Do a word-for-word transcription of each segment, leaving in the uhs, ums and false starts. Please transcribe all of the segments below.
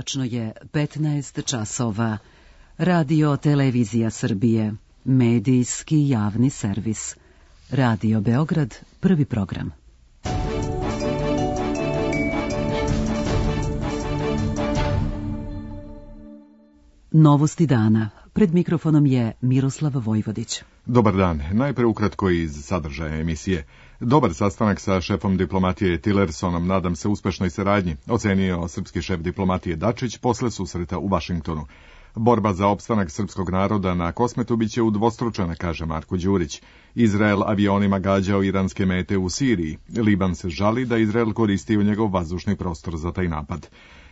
Tačno je petnaest časova. Radio Televizija Srbije, medijski javni servis. Radio Beograd, prvi program. Novosti dana. Pred mikrofonom je Miroslav Vojvodić. Dobar dan. Najpre ukratko iz sadržaja emisije. Dobar sastanak sa šefom diplomatije Tillersonom, nadam se uspešnoj saradnji, ocenio srpski šef diplomatije Dačić posle susreta u Vašingtonu. Borba za opstanak srpskog naroda na Kosmetu biće udvostručena, kaže Marko Đurić. Izrael avionima gađao iranske mete u Siriji. Liban se žali da Izrael koristi u njegov vazdušni prostor za taj napad.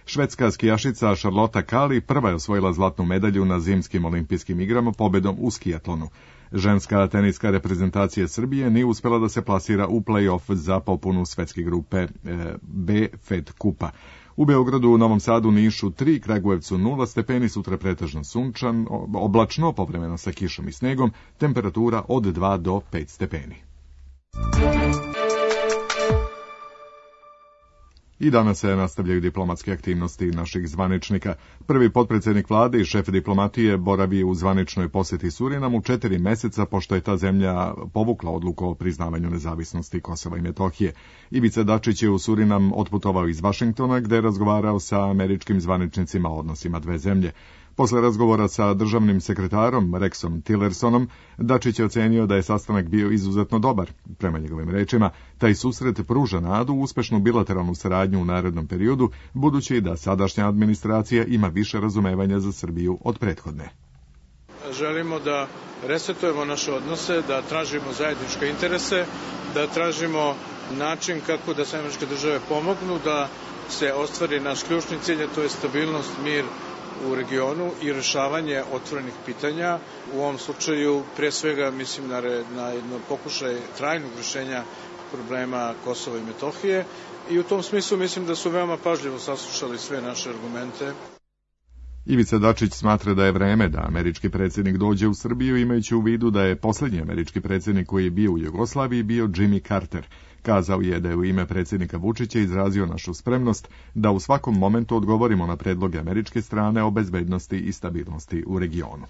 Švedska skijašica Charlotta Kali prva je osvojila zlatnu medalju na zimskim olimpijskim igrama pobedom u skijatlonu. Ženska teniska reprezentacija Srbije nije uspjela da se plasira u play-off za popunu svetske grupe B Fed Kupa. U Beogradu, Novom Sadu, Nišu tri, Kragujevcu nula stepeni, sutra pretežno sunčan, oblačno, povremeno sa kišom i snegom, temperatura od dva do pet stepeni. I danas se nastavljaju diplomatske aktivnosti naših zvaničnika. Prvi potpredsjednik vlade i šef diplomatije boravi u zvaničnoj posjeti Surinamu četiri meseca pošto je ta zemlja povukla odluku o priznavanju nezavisnosti Kosova i Metohije. Ivica Dačić je u Surinam otputovao iz Vašingtona gde je razgovarao sa američkim zvaničnicima o odnosima dve zemlje. Posle razgovora sa državnim sekretarom Rexom Tillersonom, Dačić je ocenio da je sastanak bio izuzetno dobar. Prema njegovim rečima, taj susret pruža nadu u uspešnu bilateralnu saradnju u narednom periodu, budući da sadašnja administracija ima više razumevanja za Srbiju od prethodne. Želimo da resetujemo naše odnose, da tražimo zajedničke interese, da tražimo način kako da se američke države pomognu, da se ostvari naš ključni cilj, a to je stabilnost, mir u regionu i rešavanje otvorenih pitanja. U ovom slučaju, pre svega, mislim na, na jedno pokušaj trajnog rešenja problema Kosova i Metohije i u tom smislu mislim da su veoma pažljivo saslušali sve naše argumente. Ivica Dačić smatra da je vreme da američki predsjednik dođe u Srbiju, imajući u vidu da je posljednji američki predsjednik koji je bio u Jugoslaviji bio Jimmy Carter. Kazao je da je u ime predsjednika Vučića izrazio našu spremnost da u svakom momentu odgovorimo na predloge američke strane o bezbednosti i stabilnosti u regionu.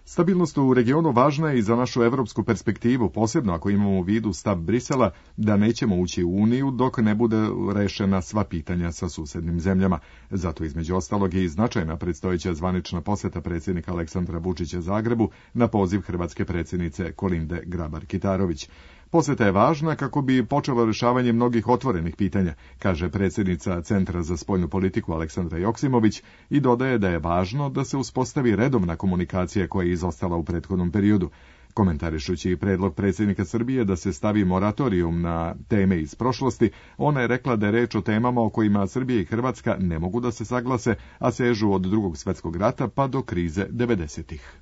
Stabilnost u regionu važna je i za našu evropsku perspektivu, posebno ako imamo u vidu stav Brisela da nećemo ući u Uniju dok ne bude rešena sva pitanja sa susednim zemljama. Zato između ostalog je i značajna predstojeća zvanična posjeta predsjednika Aleksandra Vučića Zagrebu na poziv hrvatske predsjednice Kolinde Grabar-Kitarović. Posjeta je važna kako bi počelo rešavanje mnogih otvorenih pitanja, kaže predsjednica Centra za spoljnu politiku Aleksandra Joksimović i dodaje da je važno da se uspostavi redovna komunikacija koja je izostala u prethodnom periodu. Komentarišući predlog predsjednika Srbije da se stavi moratorijum na teme iz prošlosti, ona je rekla da je reč o temama o kojima Srbija i Hrvatska ne mogu da se saglase, a sežu od Drugog svjetskog rata pa do krize devedesetih.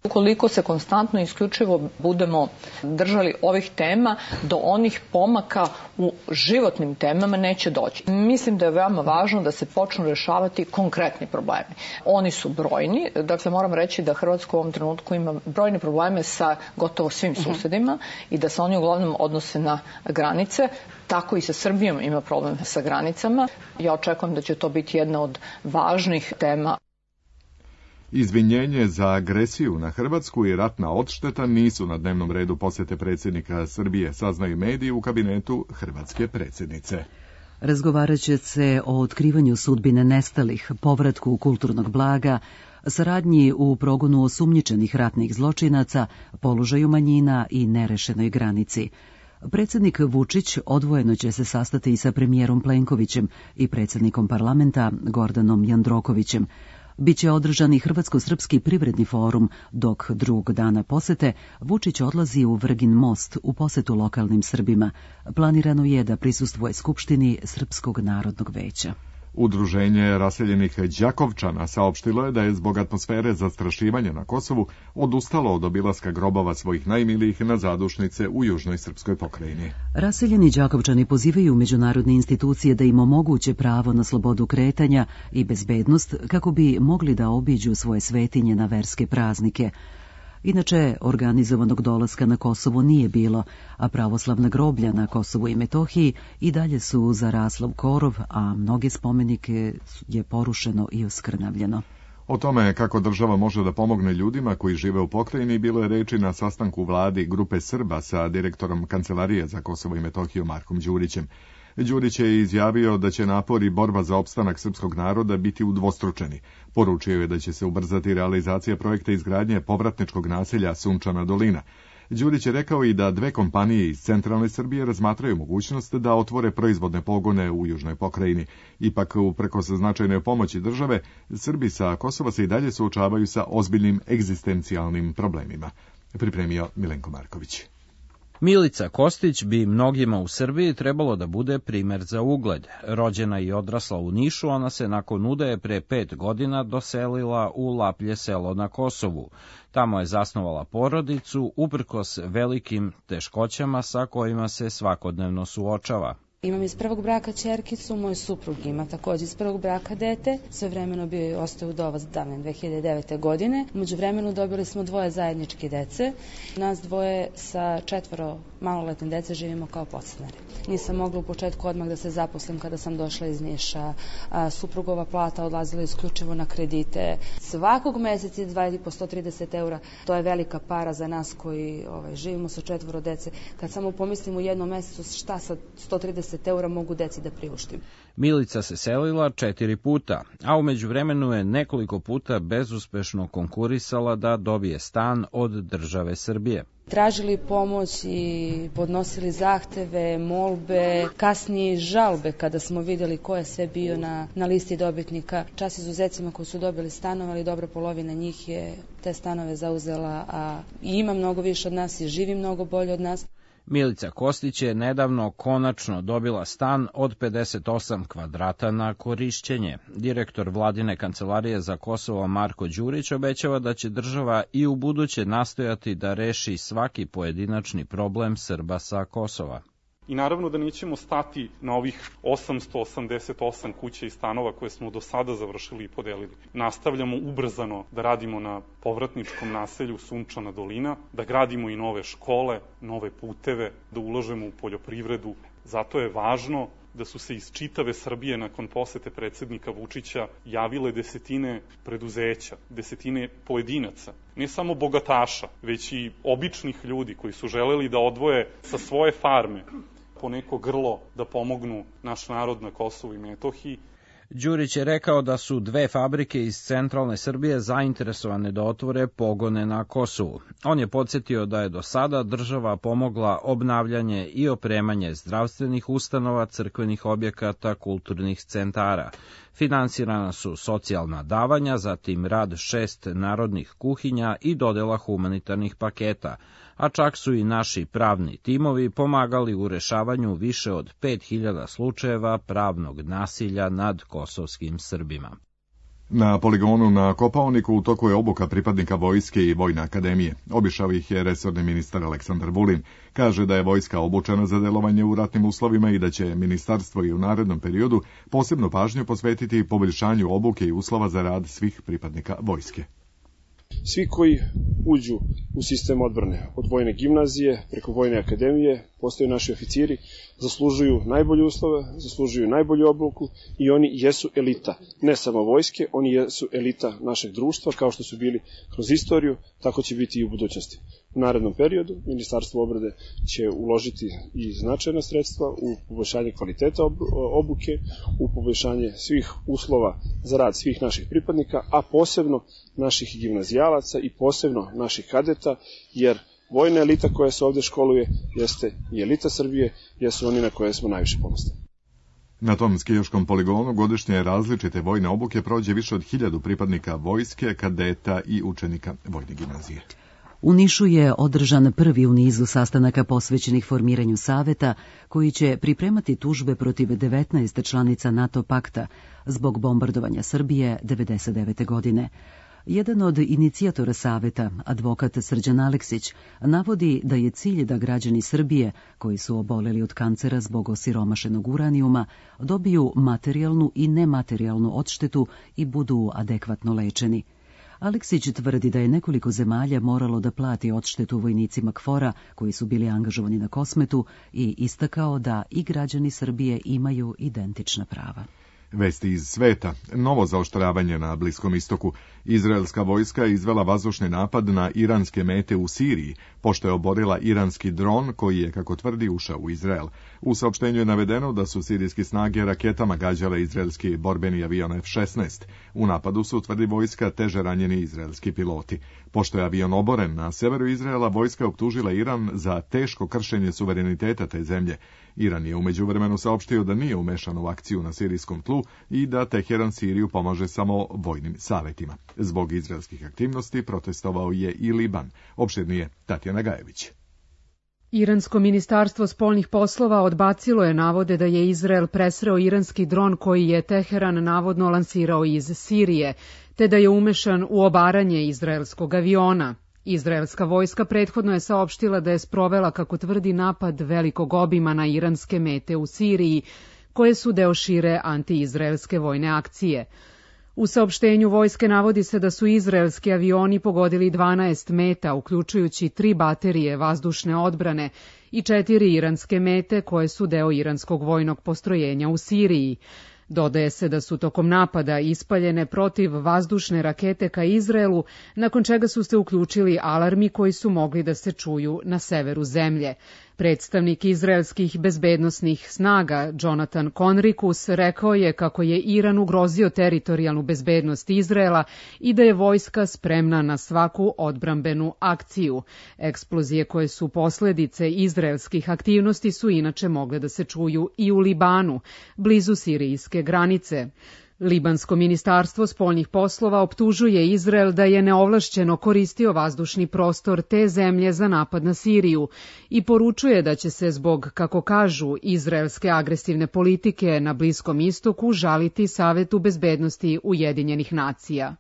Ukoliko se konstantno i isključivo budemo držali ovih tema, do onih pomaka u životnim temama neće doći. Mislim da je veoma važno da se počnu rešavati konkretni problemi. Oni su brojni, dakle moram reći da Hrvatska u ovom trenutku ima brojne probleme sa gotovo svim susedima i da se oni uglavnom odnose na granice. Tako i sa Srbijom ima problem sa granicama. Ja očekujem da će to biti jedna od važnih tema. Izvinjenje za agresiju na Hrvatsku i ratna odšteta nisu na dnevnom redu posjete predsjednika Srbije, saznaju mediji u kabinetu hrvatske predsjednice. Razgovarat će se o otkrivanju sudbine nestalih, povratku kulturnog blaga, saradnji u progonu osumnjičenih ratnih zločinaca, položaju manjina i nerešenoj granici. Predsjednik Vučić odvojeno će se sastati i sa premijerom Plenkovićem i predsjednikom parlamenta Gordanom Jandrokovićem. Biće održan i Hrvatsko-srpski privredni forum, dok drugog dana posete Vučić odlazi u Vrgin Most u posetu lokalnim Srbima. Planirano je da prisustvuje Skupštini Srpskog narodnog veća. Udruženje raseljenih Đakovčana saopštilo je da je zbog atmosfere zastrašivanja na Kosovu odustalo od obilaska grobova svojih najmilijih na zadušnice u južnoj srpskoj pokrajini. Raseljeni Đakovčani pozivaju međunarodne institucije da im omoguće pravo na slobodu kretanja i bezbednost kako bi mogli da obiđu svoje svetinje na verske praznike. Inače, organizovanog dolaska na Kosovo nije bilo, a pravoslavna groblja na Kosovu i Metohiji i dalje su zarasla u korov, a mnoge spomenike je porušeno i oskrnavljeno. O tome kako država može da pomogne ljudima koji žive u pokrajini bilo je reči na sastanku vladi grupe Srba sa direktorom Kancelarije za Kosovo i Metohiju Markom Đurićem. Đurić je izjavio da će napor i borba za opstanak srpskog naroda biti udvostručeni. Poručio je da će se ubrzati realizacija projekta izgradnje povratničkog naselja Sunčana dolina. Đurić je rekao i da dve kompanije iz centralne Srbije razmatraju mogućnost da otvore proizvodne pogone u južnoj pokrajini. Ipak, uprkos značajnoj pomoći države, Srbi sa Kosova se i dalje suočavaju sa ozbiljnim egzistencijalnim problemima. Pripremio Milenko Marković. Milica Kostić bi mnogima u Srbiji trebalo da bude primer za ugled. Rođena i odrasla u Nišu, ona se nakon udaje pre pet godina doselila u Laplje selo na Kosovu. Tamo je zasnovala porodicu uprkos velikim teškoćama sa kojima se svakodnevno suočava. Imam iz prvog braka ćerkicu, moj suprug ima također iz prvog braka dete. Sve vremeno bio ostao udovac davne dve hiljade devete. godine. Umeđu vremenu dobili smo dvoje zajedničke dece. Nas dvoje sa četvoro maloletne dece živimo kao podstanari. Nisam mogla u početku odmah da se zaposlim kada sam došla iz Niša. A, suprugova plata odlazila isključivo na kredite. Svakog meseca izdvajati po sto trideset eura. To je velika para za nas koji ovaj, živimo sa četvoro dece. Kad samo pomislim u jednom mesecu šta sa sto trideset eura mogu deci da priuštim. Milica se selila četiri puta, a u međuvremenu je nekoliko puta bezuspešno konkurisala da dobije stan od države Srbije. Tražili pomoć i podnosili zahteve, molbe, kasnije žalbe kada smo vidjeli ko je sve bio na, na listi dobitnika. Čas izuzecima koji su dobili stanove, ali dobra polovina njih je te stanove zauzela, a i ima mnogo više od nas i živi mnogo bolje od nas. Milica Kostić je nedavno konačno dobila stan od pedeset osam kvadrata na korišćenje. Direktor vladine kancelarije za Kosovo Marko Đurić obećava da će država i u buduće nastojati da reši svaki pojedinačni problem Srba sa Kosova. I naravno da nećemo stati na ovih osamsto osamdeset osam kuća i stanova koje smo do sada završili i podelili. Nastavljamo ubrzano da radimo na povratničkom naselju Sunčana dolina, da gradimo i nove škole, nove puteve, da ulažemo u poljoprivredu. Zato je važno da su se iz čitave Srbije nakon posete predsjednika Vučića javile desetine preduzeća, desetine pojedinaca, ne samo bogataša, već i običnih ljudi koji su želeli da odvoje sa svoje farme po neko grlo da pomognu naš narod na Kosovu i Metohiji. Đurić je rekao da su dve fabrike iz centralne Srbije zainteresovane da otvore pogone na Kosovu. On je podsjetio da je do sada država pomogla obnavljanje i opremanje zdravstvenih ustanova, crkvenih objekata, kulturnih centara. Finansirana su socijalna davanja, zatim rad šest narodnih kuhinja i dodela humanitarnih paketa, a čak su i naši pravni timovi pomagali u rešavanju više od pet hiljada slučajeva pravnog nasilja nad kosovskim Srbima. Na poligonu na Kopaoniku u toku je obuka pripadnika vojske i Vojne akademije. Obišao ih je resorni ministar Aleksandar Vulin. Kaže da je vojska obučena za delovanje u ratnim uslovima i da će ministarstvo i u narednom periodu posebnu pažnju posvetiti poboljšanju obuke i uslova za rad svih pripadnika vojske. Svi koji uđu u sistem odbrane, od vojne gimnazije preko Vojne akademije, postaju naši oficiri, zaslužuju najbolje uslove, zaslužuju najbolju obuku i oni jesu elita. Ne samo vojske, oni jesu elita našeg društva, kao što su bili kroz istoriju, tako će biti i u budućnosti. U narednom periodu Ministarstvo obrane će uložiti i značajna sredstva u poboljšanje kvaliteta obuke, u poboljšanje svih uslova za rad svih naših pripadnika, a posebno naših gimnazijalaca i posebno naših kadeta, jer vojna elita koja se ovdje školuje jeste i elita Srbije, jesu oni na koje smo najviše ponosni. Na tom skijaškom poligonu godišnje različite vojne obuke prođe više od hiljadu pripadnika vojske, kadeta i učenika vojne gimnazije. U Nišu je održan prvi u nizu sastanaka posvećenih formiranju saveta, koji će pripremati tužbe protiv devetnaest članica NATO pakta zbog bombardovanja Srbije devedeset devete. godine. Jedan od inicijatora saveta, advokat Srđan Aleksić, navodi da je cilj da građani Srbije, koji su oboleli od kancera zbog osiromašenog uranijuma, dobiju materijalnu i nematerijalnu odštetu i budu adekvatno lečeni. Aleksić tvrdi da je nekoliko zemalja moralo da plati odštetu vojnicima K F O R-a koji su bili angažovani na Kosmetu i istakao da i građani Srbije imaju identična prava. Vesti iz sveta. Novo zaoštravanje na Bliskom istoku. Izraelska vojska je izvela vazdušni napad na iranske mete u Siriji, pošto je oborila iranski dron koji je, kako tvrdi, ušao u Izrael. U saopštenju je navedeno da su sirijske snage raketama gađale izraelski borbeni avion F šesnaest. U napadu su, tvrdi vojska, teže ranjeni izraelski piloti. Pošto je avion oboren na severu Izraela, vojska optužila Iran za teško kršenje suvereniteta te zemlje. Iran je u međuvremenu saopštio da nije umešan u akciju na sirijskom tlu i da Teheran Siriju pomaže samo vojnim savjetima. Zbog izraelskih aktivnosti protestovao je i Liban. Opširnije Tatjana Gajević. Iransko ministarstvo spoljnih poslova odbacilo je navode da je Izrael presreo iranski dron koji je Teheran navodno lansirao iz Sirije, te da je umešan u obaranje izraelskog aviona. Izraelska vojska prethodno je saopštila da je sprovela, kako tvrdi, napad velikog obima na iranske mete u Siriji, koje su deo šire antiizraelske vojne akcije. U saopštenju vojske navodi se da su izraelski avioni pogodili dvanaest meta, uključujući tri baterije vazdušne odbrane i četiri iranske mete koje su deo iranskog vojnog postrojenja u Siriji. Dodaje se da su tokom napada ispaljene protiv vazdušne rakete ka Izraelu, nakon čega su se uključili alarmi koji su mogli da se čuju na severu zemlje. Predstavnik izraelskih bezbednosnih snaga Jonathan Conricus rekao je kako je Iran ugrozio teritorijalnu bezbednost Izraela i da je vojska spremna na svaku odbrambenu akciju. Eksplozije koje su posledice izraelskih aktivnosti su inače mogle da se čuju i u Libanu, blizu sirijske granice. Libansko ministarstvo spoljnih poslova optužuje Izrael da je neovlašćeno koristio vazdušni prostor te zemlje za napad na Siriju i poručuje da će se zbog, kako kažu, izraelske agresivne politike na Bliskom istoku žaliti Savetu bezbednosti Ujedinjenih nacija.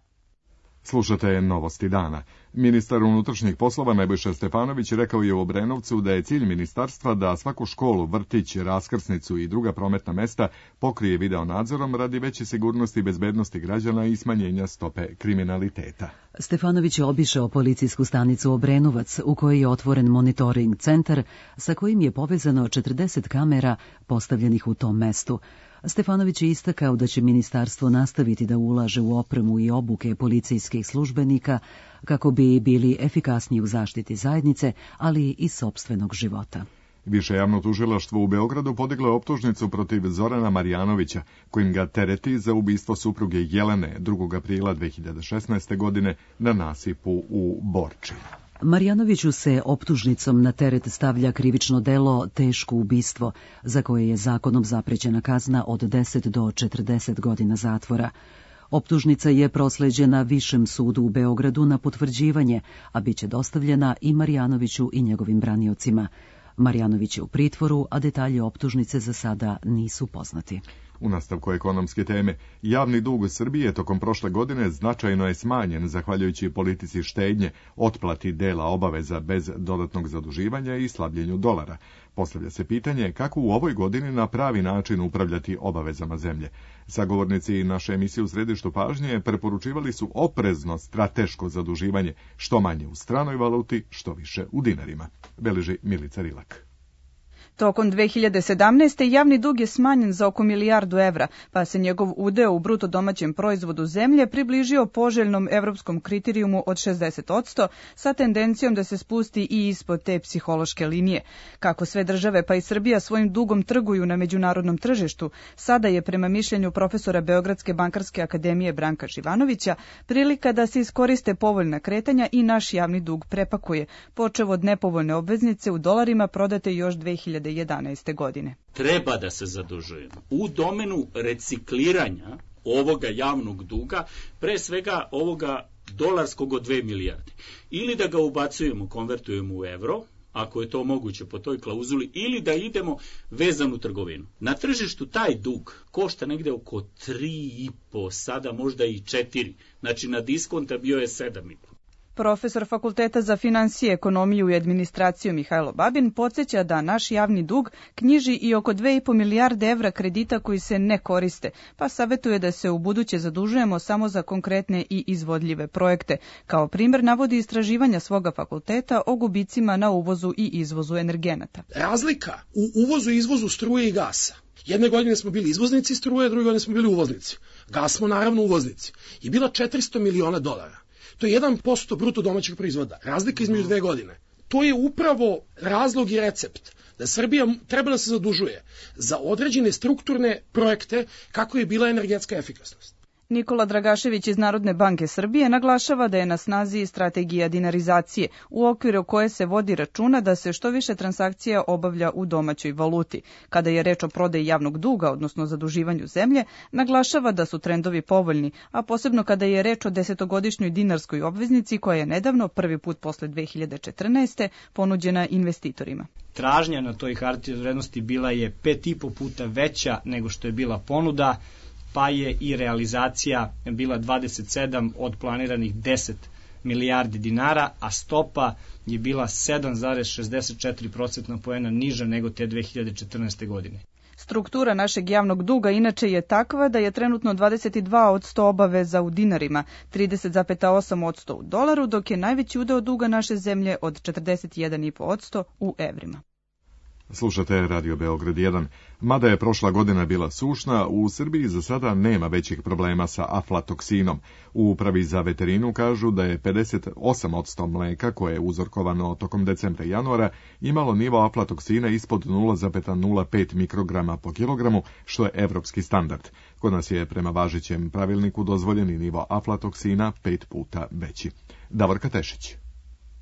Slušate Novosti dana. Ministar unutrašnjih poslova Nebojša Stefanović rekao je u Obrenovcu da je cilj ministarstva da svaku školu, vrtić, raskrsnicu i druga prometna mesta pokrije video nadzorom radi veće sigurnosti i bezbednosti građana i smanjenja stope kriminaliteta. Stefanović je obišao policijsku stanicu Obrenovac u kojoj je otvoren monitoring centar sa kojim je povezano četrdeset kamera postavljenih u tom mestu. Stefanović je istakao da će ministarstvo nastaviti da ulaže u opremu i obuke policijskih službenika kako bi bili efikasniji u zaštiti zajednice, ali i sopstvenog života. Više javno tužilaštvo u Beogradu podiglo je optužnicu protiv Zorana Marjanovića, kojim ga tereti za ubistvo supruge Jelene drugog aprila dve hiljade šesnaeste. godine na nasipu u Borči. Marjanoviću se optužnicom na teret stavlja krivično delo teško ubistvo, za koje je zakonom zaprećena kazna od deset do četrdeset godina zatvora. Optužnica je prosleđena Višem sudu u Beogradu na potvrđivanje, a bit će dostavljena i Marjanoviću i njegovim braniocima. Marjanović je u pritvoru, a detalje optužnice za sada nisu poznati. U nastavku ekonomske teme, javni dug Srbije tokom prošle godine značajno je smanjen zahvaljujući politici štednje, otplati dela obaveza bez dodatnog zaduživanja i slabljenju dolara. Postavlja se pitanje kako u ovoj godini na pravi način upravljati obavezama zemlje. Sagovornici naše emisije u središtu pažnje preporučivali su oprezno strateško zaduživanje, što manje u stranoj valuti, što više u dinarima. Beleži Milica Rilak. Tokom dve hiljade sedamnaeste. javni dug je smanjen za oko milijardu evra, pa se njegov udeo u bruto domaćem proizvodu zemlje približio poželjnom evropskom kriterijumu od šezdeset posto sa tendencijom da se spusti i ispod te psihološke linije. Kako sve države pa i Srbija svojim dugom trguju na međunarodnom tržištu, sada je prema mišljenju profesora Beogradske bankarske akademije Branka Živanovića prilika da se iskoriste povoljna kretanja i naš javni dug prepakuje, počev od nepovoljne obveznice u dolarima prodate još dve hiljade jedanaeste. godine. Treba da se zadužujemo u domenu recikliranja ovoga javnog duga, pre svega ovoga dolarskog od dve milijarde. Ili da ga ubacujemo, konvertujemo u evro, ako je to moguće po toj klauzuli, ili da idemo vezanu trgovinu. Na tržištu taj dug košta negde oko tri i po, sada možda i četiri. Znači na diskonta bio je sedam i po. Profesor Fakulteta za finansije, ekonomiju i administraciju Mihajlo Babin podsjeća da naš javni dug knjiži i oko dve i po milijarde evra kredita koji se ne koriste, pa savetuje da se u buduće zadužujemo samo za konkretne i izvodljive projekte. Kao primjer navodi istraživanja svoga fakulteta o gubicima na uvozu i izvozu energenata. Razlika u uvozu i izvozu struje i gasa. Jedne godine smo bili izvoznici struje, druge godine smo bili uvoznici. Gas smo naravno uvoznici. I bila četiristo miliona dolara. To je jedan posto bruto domaćeg proizvoda. Razlika između dve godine. To je upravo razlog i recept da Srbija treba da se zadužuje za određene strukturne projekte kako je bila energetska efikasnost. Nikola Dragašević iz Narodne banke Srbije naglašava da je na snazi strategija dinarizacije, u okviru koje se vodi računa da se što više transakcija obavlja u domaćoj valuti. Kada je reč o prodaji javnog duga, odnosno zaduživanju zemlje, naglašava da su trendovi povoljni, a posebno kada je reč o desetogodišnjoj dinarskoj obveznici koja je nedavno, prvi put posle dve hiljade četrnaeste. ponuđena investitorima. Tražnja na toj hartiji od vrednosti bila je pet i po puta veća nego što je bila ponuda, pa je i realizacija bila dvadeset sedam od planiranih deset milijardi dinara, a stopa je bila sedam zarez šezdeset četiri procentna poena niža nego te dve hiljade četrnaeste. godine. Struktura našeg javnog duga inače je takva da je trenutno dvadeset dva posto obaveza u dinarima, trideset zarez osam posto u dolaru, dok je najveći udeo duga naše zemlje od četrdeset jedan zarez pet posto u evrima. Slušate Radio Beograd jedan. Mada je prošla godina bila sušna, u Srbiji za sada nema većih problema sa aflatoksinom. U Upravi za veterinu kažu da je pedeset osam posto mleka koje je uzorkovano tokom decembra i januara imalo nivo aflatoksina ispod nula zarez nula pet mikrograma po kilogramu, što je evropski standard. Kod nas je prema važećem pravilniku dozvoljeni nivo aflatoksina pet puta veći. Davorka Tešić.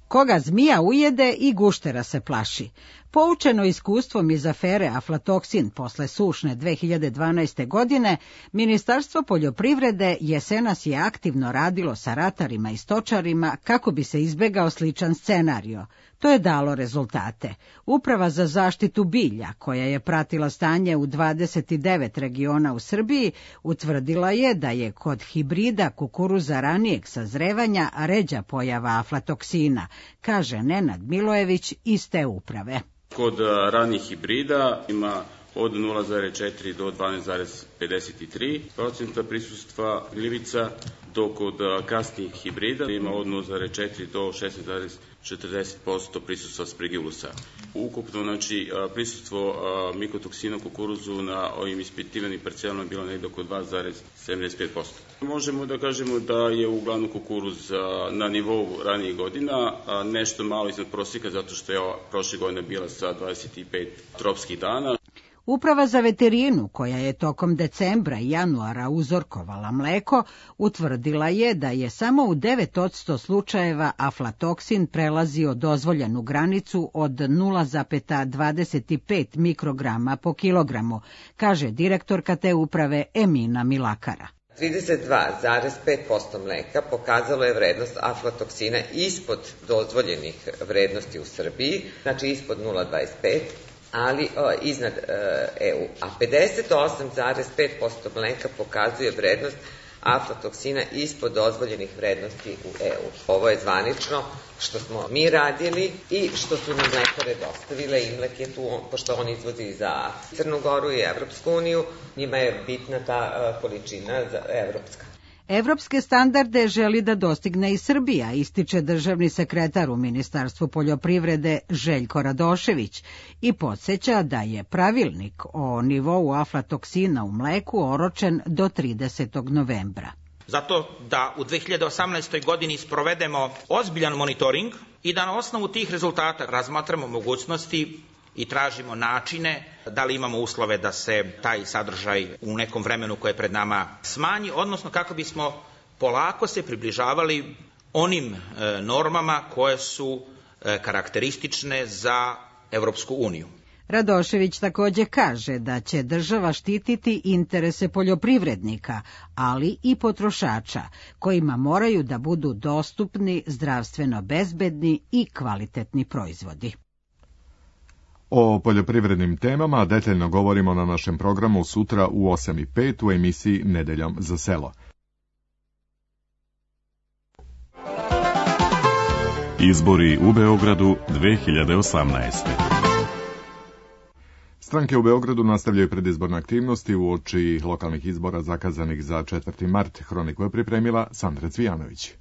Koga zmija ujede i guštera se plaši. Poučeno iskustvom iz afere aflatoksin posle sušne dve hiljade dvanaeste. godine, Ministarstvo poljoprivrede jesenas je aktivno radilo sa ratarima i stočarima kako bi se izbegao sličan scenario. To je dalo rezultate. Uprava za zaštitu bilja, koja je pratila stanje u dvadeset devet regiona u Srbiji, utvrdila je da je kod hibrida kukuruza ranijeg sazrevanja ređa pojava aflatoksina, kaže Nenad Milojević iz te uprave. Kod ranih hibrida ima od nula zarez četiri do dvanaest zarez pedeset tri procenta prisustva gljivica, dok kod kasnijih hibrida ima od nula zarez četiri do šesnaest zarez četrdeset posto prisustva sprigivlusa. Ukupno, znači, prisustvo mikotoksina u kukuruzu na ovim ispitivanim parcelama je bilo negde oko dva zarez sedamdeset pet posto. Možemo da kažemo da je uglavnom kukuruz na nivou ranijih godina, nešto malo iznad prosjeka zato što je prošle godine bila sa dvadeset pet tropskih dana. Uprava za veterinu, koja je tokom decembra i januara uzorkovala mleko, utvrdila je da je samo u devet posto slučajeva aflatoksin prelazio dozvoljenu granicu od nula zarez dvadeset pet mikrograma po kilogramu, kaže direktorka te uprave Emina Milakara. trideset dva zarez pet posto mleka pokazalo je vrednost aflatoksina ispod dozvoljenih vrednosti u Srbiji, znači ispod nula zarez dvadeset pet, ali o, iznad e, EU. A pedeset osam zarez pet posto mleka pokazuje vrednost aflatoksina ispod dozvoljenih vrednosti u E U. Ovo je zvanično što smo mi radili i što su nam mlekare dostavile. Imlek je tu, pošto on izvozi za Crnu Goru i Evropsku uniju, njima je bitna ta a, količina za evropska. Evropske standarde želi da dostigne i Srbija, ističe državni sekretar u Ministarstvu poljoprivrede Željko Radošević i podsjeća da je pravilnik o nivou aflatoksina u mleku oročen do tridesetog novembra. Zato da u dve hiljade osamnaestoj. godini sprovedemo ozbiljan monitoring i da na osnovu tih rezultata razmatramo mogućnosti i tražimo načine, da li imamo uslove da se taj sadržaj u nekom vremenu koje je pred nama smanji, odnosno kako bismo polako se približavali onim e, normama koje su e, karakteristične za Evropsku uniju. Radošević takođe kaže da će država štititi interese poljoprivrednika, ali i potrošača, kojima moraju da budu dostupni, zdravstveno bezbedni i kvalitetni proizvodi. O poljoprivrednim temama detaljno govorimo na našem programu sutra u osam i pet u emisiji Nedeljom za selo. Izbori u Beogradu dve hiljade osamnaeste. Stranke u Beogradu nastavljaju predizborne aktivnosti uoči lokalnih izbora zakazanih za četvrti mart. Hroniku je pripremila Sandra Cvijanović.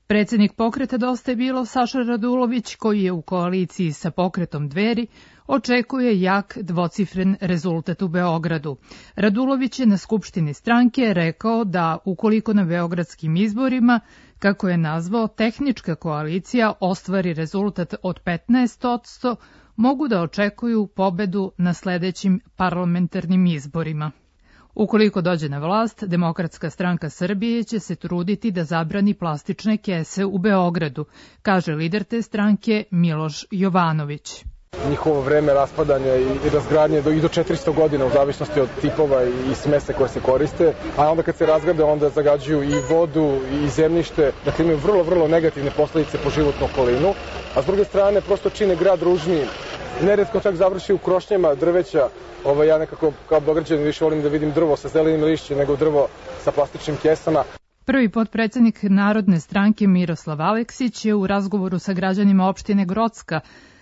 Predsjednik pokreta Dosta je bilo Saša Radulović, koji je u koaliciji sa pokretom Dveri, očekuje jak dvocifren rezultat u Beogradu. Radulović je na skupštini stranke rekao da ukoliko na beogradskim izborima, kako je nazvao, tehnička koalicija ostvari rezultat od petnaest posto, mogu da očekuju pobedu na sledećim parlamentarnim izborima. Ukoliko dođe na vlast, Demokratska stranka Srbije će se truditi da zabrani plastične kese u Beogradu, kaže lider te stranke Miloš Jovanović. Njihovo vreme raspadanja i razgradnje do, i do četiristo godina u zavisnosti od tipova i smese koje se koriste, a onda kad se razgrade onda zagađuju i vodu i zemljište, dakle imaju vrlo, vrlo negativne posledice po životnu okolinu, a s druge strane prosto čine grad ružnijim. Neretko čak završi u krošnjama drveća. Ovo, ja nekako kao Beograđanin više volim da vidim drvo sa zelenim lišćem nego drvo sa plastičnim kesama. Prvi potpredsednik Narodne stranke Miroslav Aleksić je u razgovoru sa građanima opštine Grocka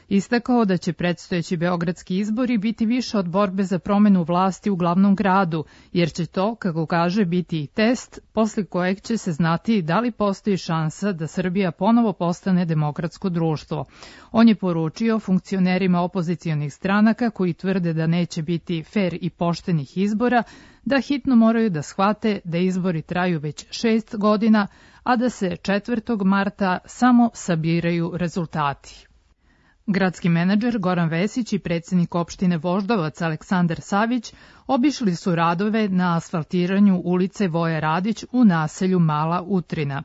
istakao da će predstojeći beogradski izbori biti više od borbe za promenu vlasti u glavnom gradu, jer će to, kako kaže, biti i test posle kojeg će se znati da li postoji šansa da Srbija ponovo postane demokratsko društvo. On je poručio funkcionerima opozicionih stranaka koji tvrde da neće biti fer i poštenih izbora, da hitno moraju da shvate da izbori traju već šest godina, a da se četvrtog marta samo sabiraju rezultati. Gradski menadžer Goran Vesić i predsjednik opštine Voždovac Aleksandar Savić obišli su radove na asfaltiranju ulice Voje Radić u naselju Mala Utrina.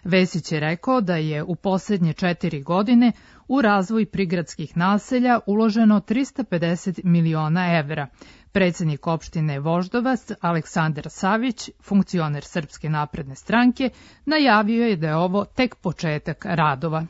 Vesić je rekao da je u posljednje četiri godine u razvoj prigradskih naselja uloženo trista pedeset miliona evra. Predsjednik opštine Voždovac Aleksandar Savić, funkcioner Srpske napredne stranke, najavio je da je ovo tek početak radova.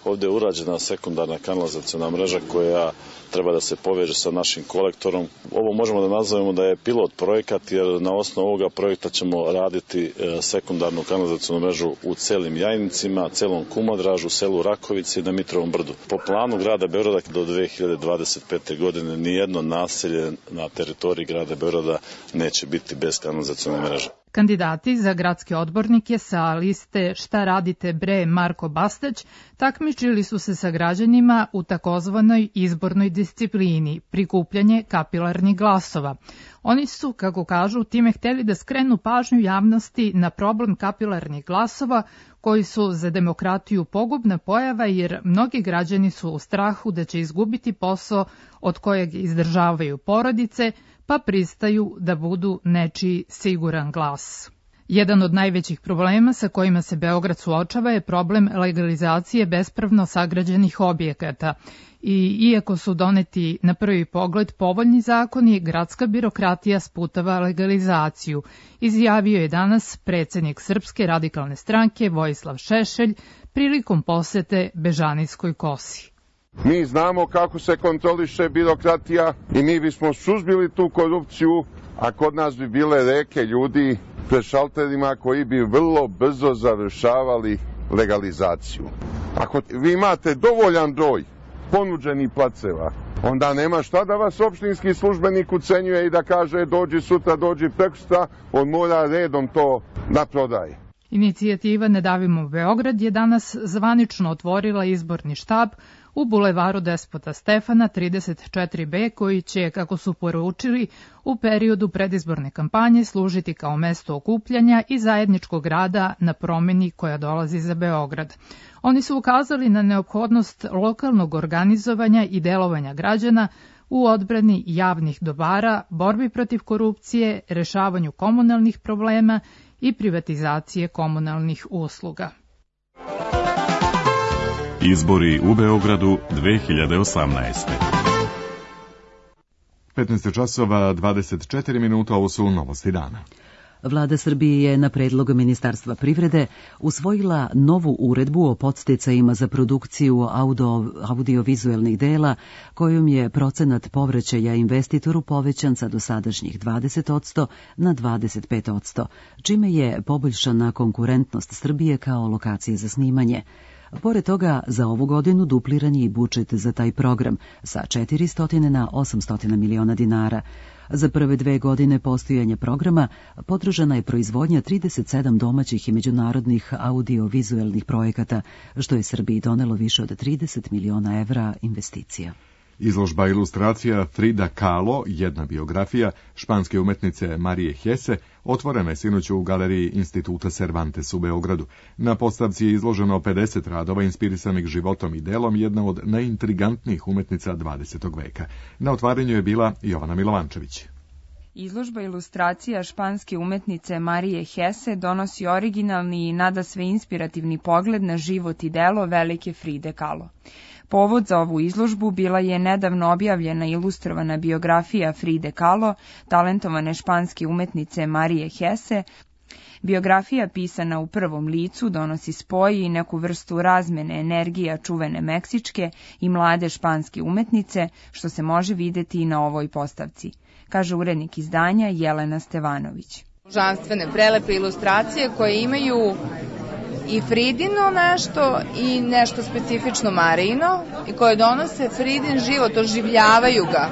Ovde je urađena sekundarna kanalizaciona mreža koja treba da se poveže sa našim kolektorom. Ovo možemo da nazovemo da je pilot projekat, jer na osnovu ovoga projekta ćemo raditi sekundarnu kanalizacionu mrežu u celim Jajnicima, celom Kumodražu, selu Rakovici i na Mitrovom brdu. Po planu grada Beograda do dve hiljade dvadeset pete. godine nijedno naselje na teritoriji grada Beograda neće biti bez kanalizacione mreže. Kandidati za gradske odbornike sa liste Šta radite bre Marko Bastać takmičili su se sa građanima u takozvanoj izbornoj disciplini, prikupljanje kapilarnih glasova. Oni su, kako kažu, time hteli da skrenu pažnju javnosti na problem kapilarnih glasova, koji su za demokratiju pogubna pojava, jer mnogi građani su u strahu da će izgubiti posao od kojeg izdržavaju porodice, pa pristaju da budu nečiji siguran glas. Jedan od najvećih problema sa kojima se Beograd suočava je problem legalizacije bespravno sagrađenih objekata. I iako su doneti na prvi pogled povoljni zakoni, gradska birokratija sputava legalizaciju, izjavio je danas predsjednik Srpske radikalne stranke Vojislav Šešelj prilikom posete Bežanijskoj kosi. Mi znamo kako se kontroliše birokratija i mi bismo suzbili tu korupciju, a kod nas bi bile reke ljudi pred šalterima koji bi vrlo brzo završavali legalizaciju. Ako vi imate dovoljan broj ponuđenih placeva, onda nema šta da vas opštinski službenik ucenjuje i da kaže dođi sutra, dođi prekosutra, on mora redom to da prodaje. Inicijativa Ne davimo Beograd je danas zvanično otvorila izborni štab u bulevaru Despota Stefana trideset četiri be, koji će, kako su poručili, u periodu predizborne kampanje služiti kao mesto okupljanja i zajedničkog rada na promeni koja dolazi za Beograd. Oni su ukazali na neophodnost lokalnog organizovanja i delovanja građana u odbrani javnih dobara, borbi protiv korupcije, rešavanju komunalnih problema i privatizacije komunalnih usluga. Izbori u Beogradu dve hiljade osamnaeste. petnaest časova dvadeset četiri minuta, ovo su novosti dana. Vlada Srbije je na predlog Ministarstva privrede usvojila novu uredbu o podsticajima za produkciju audio, audiovizuelnih dela, kojom je procenat povraćaja investitoru povećan sa dosadašnjih dvadeset posto na dvadeset pet posto, čime je poboljšana konkurentnost Srbije kao lokacije za snimanje. Pored toga, za ovu godinu dupliran je i budžet za taj program sa četiristo na osamsto miliona dinara. Za prve dve godine postojanja programa podržana je proizvodnja trideset sedam domaćih i međunarodnih audio-vizuelnih projekata, što je Srbiji donelo više od trideset miliona evra investicija. Izložba ilustracija Frida Kahlo, jedna biografija španske umetnice Marije Hesse, otvorena je sinoć u galeriji Instituta Cervantes u Beogradu. Na postavci je izloženo pedeset radova inspirisanih životom i delom jedna od najintrigantnijih umetnica dvadesetog veka. Na otvaranju je bila Jovana Milovančević. Izložba ilustracija španske umetnice Marije Hesse donosi originalni i nadasve inspirativni pogled na život i delo velike Fride Kahlo. Povod za ovu izložbu bila je nedavno objavljena ilustrovana biografija Fride Kahlo, talentovane španske umetnice Marije Hesse. Biografija pisana u prvom licu donosi spoj i neku vrstu razmene energija čuvene meksičke i mlade španske umetnice, što se može videti i na ovoj postavci, kaže urednik izdanja Jelena Stevanović. Božanstvene, prelepe ilustracije koje imaju i Fridino nešto i nešto specifično Marijino i koje donose Fridin život, oživljavaju ga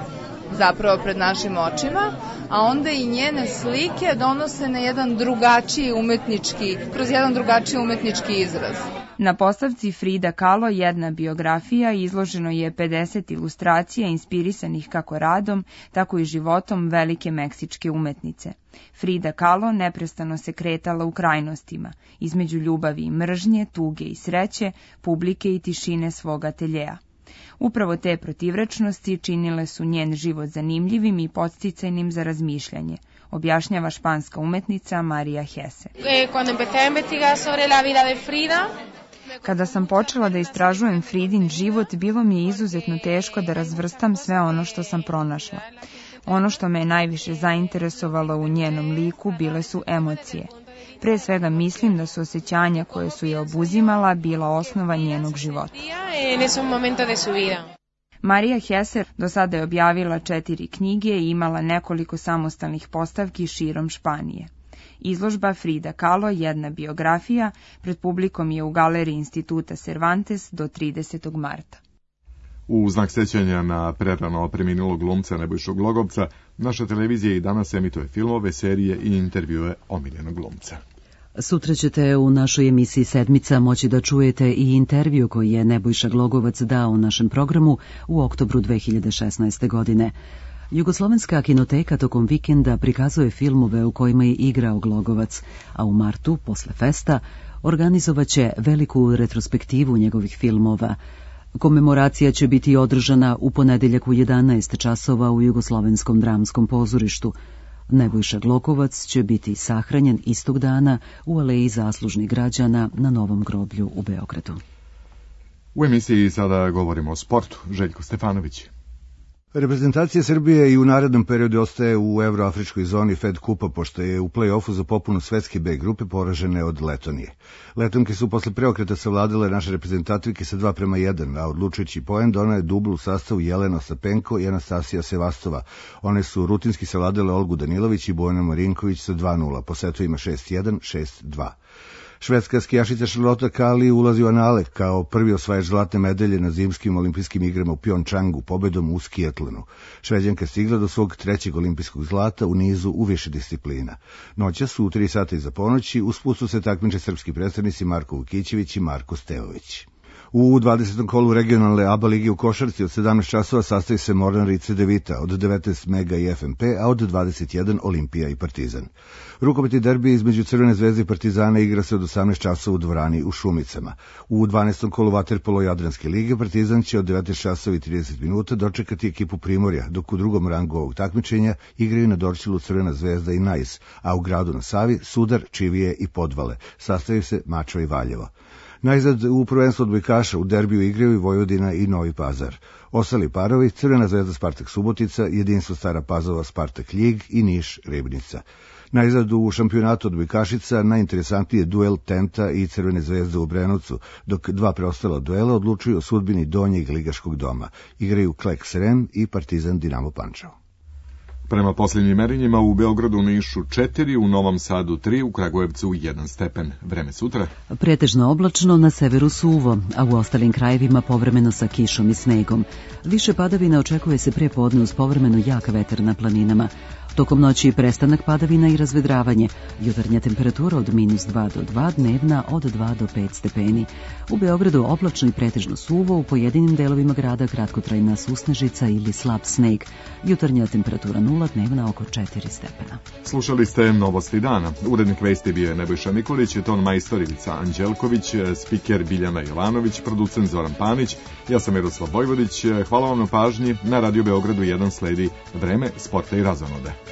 zapravo pred našim očima, a onda i njene slike donose na jedan drugačiji umetnički, kroz jedan drugačiji umetnički izraz. Na postavci Frida Kahlo, jedna biografija, izloženo je pedeset ilustracija inspirisanih kako radom, tako i životom velike meksičke umetnice. Frida Kahlo neprestano se kretala u krajnostima, između ljubavi i mržnje, tuge i sreće, publike i tišine svog ateljeja. Upravo te protivrečnosti činile su njen život zanimljivim i podsticajnim za razmišljanje, objašnjava španska umetnica Marija Hesse. Kada sam počela da istražujem Fridin život, bilo mi je izuzetno teško da razvrstam sve ono što sam pronašla. Ono što me je najviše zainteresovalo u njenom liku bile su emocije. Pre svega mislim da su osjećanja koje su je obuzimala bila osnova njenog života. Marija Hesse do sada je objavila četiri knjige i imala nekoliko samostalnih postavki širom Španije. Izložba Frida Kahlo, jedna biografija, pred publikom je u galeriji Instituta Cervantes do tridesetog marta. U znak sećanja na prerano preminulog glumca Nebojšu Glogovca, naša televizija i danas emituje filmove, serije i intervjue omiljenog glumca. Sutra ćete u našoj emisiji Sedmica moći da čujete i intervju koji je Nebojša Glogovac dao u našem programu u oktobru dve hiljade šesnaeste. godine. Jugoslovenska kinoteka tokom vikenda prikazuje filmove u kojima je igrao Glogovac, a u martu, posle festa, organizovaće veliku retrospektivu njegovih filmova. Komemoracija će biti održana u ponedeljak u jedanaest časova u Jugoslovenskom dramskom pozorištu. Nebojša Glogovac će biti sahranjen istog dana u Aleji zaslužnih građana na Novom groblju u Beogradu. U emisiji sada govorimo o sportu. Željko Stefanović. Reprezentacija Srbije i u narednom periodu ostaje u evroafričkoj zoni Fed kupa, pošto je u play-offu za popunu svetske B grupe poražene od Letonije. Letonke su posle preokreta savladale naše reprezentativke sa dva prema jedan, a odlučujući poen donao je dubl u sastavu Jelena Ostapenko i Anastasija Sevastova. One su rutinski savladale Olgu Danilović i Bojana Marinković sa dva nula, po setovima šest jedan, šest dva. Švedska skijašica Charlotte Kali ulazi u anale kao prvi osvajač zlatne medalje na zimskim olimpijskim igrama u Pjončangu pobedom u skijatlonu. Šveđanka stigla do svog trećeg olimpijskog zlata u nizu u više disciplina. Noćas u tri sata iza ponoći usput su se takmiče srpski predstavnici Marko Vukićević i Marko Stevović. U dvadesetom kolu regionalne A B A lige u košarci od sedamnaest časova sastavi se Mornar i Cedevita, od devetnaest Mega i F M P, a od dvadeset jedan Olimpija i Partizan. Rukometni derbi između Crvene zvezde i Partizana igra se od osamnaest časova u dvorani u Šumicama. U dvanaestom kolu vaterpolo Jadranske lige Partizan će od devetnaest časova i trideset minuta dočekati ekipu Primorja, dok u drugom rangu ovog takmičenja igraju na Dorćolu Crvena zvezda i Najs, a u gradu na Savi Sudar, Čivije i Podvale. Sastavaju se Mačva i Valjevo. Najzad u prvenstvu odbojkaša u derbiju igraju i Vojvodina i Novi Pazar. Ostali parovi Crvena zvezda Spartak Subotica, Jedinstvo Stara Pazova Spartak Ljig i Niš Ribnica. Najzad u šampionatu odbojkašica najinteresantniji je duel Tenta i Crvene zvezde u Brenovcu, dok dva preostala duela odlučuju o sudbini donjeg ligaškog doma. Igraju Kleks Rem i Partizan Dinamo Pančevo. Prema posljednjim merenjima u Beogradu, Nišu četiri, u Novom Sadu tri, u Kragujevcu jedan stepen. Vreme sutra? Pretežno oblačno, na severu suvo, a u ostalim krajevima povremeno sa kišom i snegom. Više padavina očekuje se pre podne uz povremeno jak vetar na planinama. Tokom noći prestanak padavina i razvedravanje. Jutarnja temperatura od minus dva do dva, dnevna od dva do pet stepeni. U Beogradu oblačno i pretežno suvo, u pojedinim delovima grada kratkotrajna susnežica ili slab sneg. Jutarnja temperatura nula, dnevna oko četiri stepena. Slušali ste Novosti dana. Urednik vesti bio je Nebojša Nikolić, ton majstor Ivica Anđelković, spiker Biljana Jovanović, producent Zoran Panić, ja sam Miroslav Vojvodić. Hvala vam na pažnji. Na Radio Beogradu jedan sledi Vreme, sporta i razonode.